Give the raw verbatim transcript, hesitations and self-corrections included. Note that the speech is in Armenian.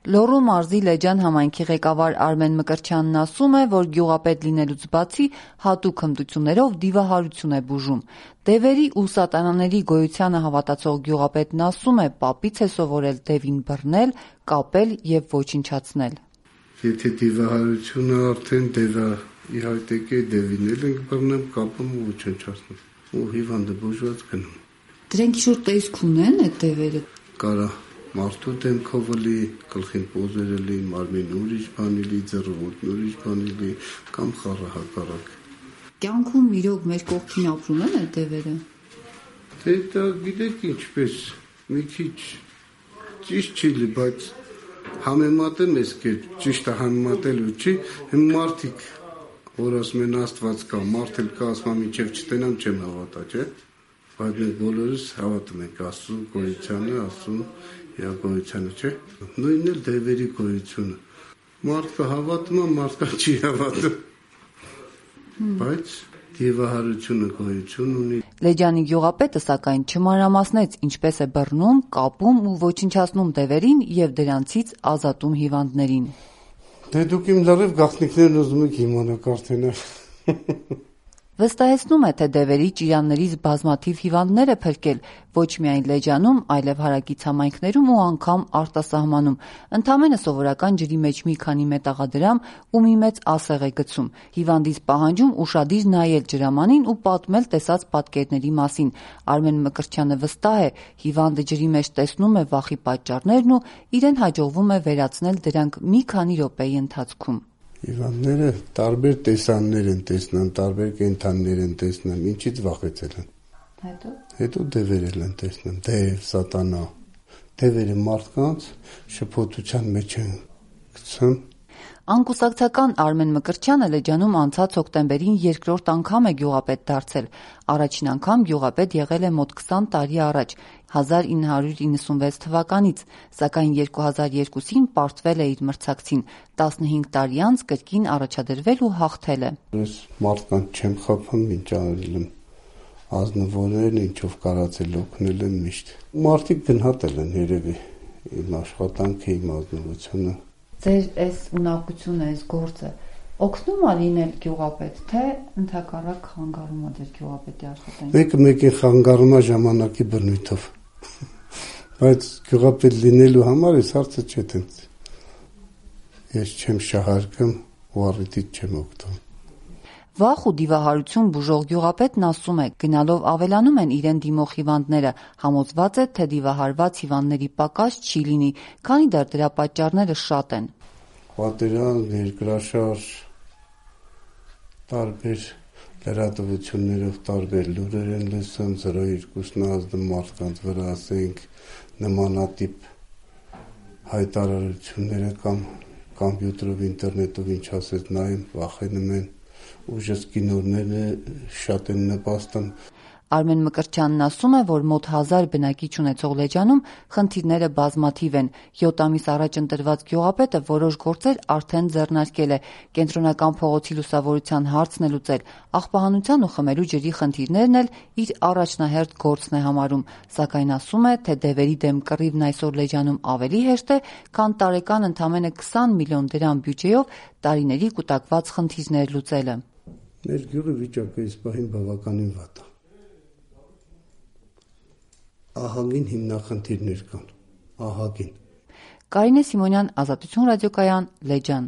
Լոռու մարզի Լեջան համայնքի ղեկավար Արմեն Մկրտչյանն ասում է, որ գյուղապետ լինելուց բացի հատուկ հմտություններով դիվահարություն է բուժում։ Դևերի ու սատանաների գոյությանը հավատացող գյուղապետն ասում է, պապից է սովորել դևին բռնել, կապել եւ ոչնչացնել։ Եթե դիվահարությունը արդեն դևա իհայտ եկե, դևին էլ ենք բռնում, կապում ու ոչնչացնում։ Ու հիվանդը բուժված գնում։ Դրանք ինչ-որ տեսք ունեն այդ դևերը։ Կարա մարդու դեմքով լի, գլխին պոզերը լի, մարմին ուրիշ բանի լի, ձեռքին ուրիշ բանի լի, կամ խառը հակառակ։ Կյանքում իրոք մեր կողքին ապրում են այդ դևերը։ Դե դա գիտեք ինչպես, մի քիչ ճիշտ չի լի, բայց համեմատեմ ես կերպ, ճիշտը համեմատելու չի, հմ մարդիկ, որ ասում են Աստված կա, մարդ էլ կա, ասում մինչև չտենամ չեմ հավատա, չէ՞։ Բայց մենք բոլորս հավատում ենք Աստծո գոյությանը, Աստծո գոյությանը, չէ՞։ Նույնն էլ դևերի գոյությունը։ Մարդը հավատում է, մարդը չի հավատում։ Բայց դիվահարությունը գոյություն ունի։ Լեջանի գյուղապետը սակայն չմանրամասնեց ինչպես է բռնում, կապում ու ոչնչացնում դևերին եւ դրանցից ազատում հիվանդներին։ Դե դուք իմ լրիվ գաղտնիքներն ուզում եք իմանաք արդեն։ Վստահեցնում է, թե դևերի ճիրաններից բազմաթիվ հիվանդներ է փրկել ոչ միայն Լեջանում, այլև հարակից համայնքներում ու անգամ արտասահմանում։ Ընդամենը սովորական ջրի մեջ մի քանի մետաղադրամ ու մի մեծ ասեղ է գցում։ Հիվանդից պահանջում ուշադիր նայել ջրամանին ու պատմել տեսած պատկերների մասին։ Արմեն Մկրտչյանը վստահ է, հիվանդը ջրի մեջ տեսնում է վախի պատճառներն ու իրեն հաջողվում է վերացնել դրանք մի քանի րոպեի ընթացքում։ Հիվանդները տարբեր տեսաններ են տեսնում, տարբեր կենդաններ են տեսնում, ինչից վախեցել են։ Հետո Հետո դևեր են տեսնում, դև, սատանա։ Դևերը մարդկանց շփոթության մեջ են գցում։ Անկուսակցական Արմեն Մկրտչյանը Լեջանում անցած հոկտեմբերին երկրորդ անգամ է գյուղապետ դարձել։ Առաջին անգամ գյուղապետ եղել է մոտ քսան տարի առաջ, հազար ինը հարյուր իննսունվեց թվականից, սակայն երկու հազար երկուսին պարտվել է իր մրցակցին, տասնհինգ տարի անց կրկին առաջադրվել ու հաղթել է։ Ես մարդկանց չեմ խափում, ինչ արել եմ, ազնվորեն ինչով կարացել օգնել եմ միշտ։ Մարդիկ գնահատել են երևի իմ աշխատանքը, իմ ազնվությունը։ Ձեր այս ունակությունը, այս գործը օգնում է լինել գյուղապետ, թե ընդհակառակ խանգարում է ձեր գյուղապետի աշխատանքը։ Մեկը մեկին խանգարում է ժամանակի բնույթով։ Բայց գյուղապետ լինելու համար այս հարցը չէ տենց։ Ես չեմ շահարկում ու առիթից չեմ օգտվում։ Վախ ու դիվահարություն բուժող գյուղապետն ասում է, գնալով ավելանում են իրեն դիմող հիվանդները, համոզված է, թե դիվահարված հիվանդների պակաս չի լինի, քանի դեռ դրա պատճառները շատ են։ Պատերազմ, երկրաշարժ, տարբեր լրատվություններով տարբեր լուրեր են լսում, զրո երկուսն ազդում մարդկանց վրա, ասենք նմանատիպ հայտարարությունները կամ կոմպյուտերով, ինտերնետով ինչ ասես նայում, վախենում են։ Ուժսկի նորները շատ են նպաստում։ Արմեն Մկրտչյանն ասում է, որ մոտ հազար բնակիչ ունեցող Լեջանում խնդիրները բազմաթիվ են։ յոթ ամիս առաջ ընտրված գյուղապետը որոշ գործեր արդեն ձեռնարկել է։ Կենտրոնական փողոցի լուսավորության հարցն է լուծել, աղբահանության ու խմելու ջրի խնդիրներն էլ իր առաջնահերթ գործն է համարում, սակայն ասում է, թե դևերի դեմ կռիվն այսօր Լեջանում ավելի հեշտ է, քան տարեկան ընդամենը քսան միլիոն դրամ բյուջեով տարիների կուտակված խնդիրներ լուծելը։ Մեր գյուղի վիճակը այս պահին բավականին վատ է։ Ահագին հիմնախնդիրներ կան, ահագին։ Կարինե Սիմոնյան, Ազատություն ռադիոկայան, Լեջան։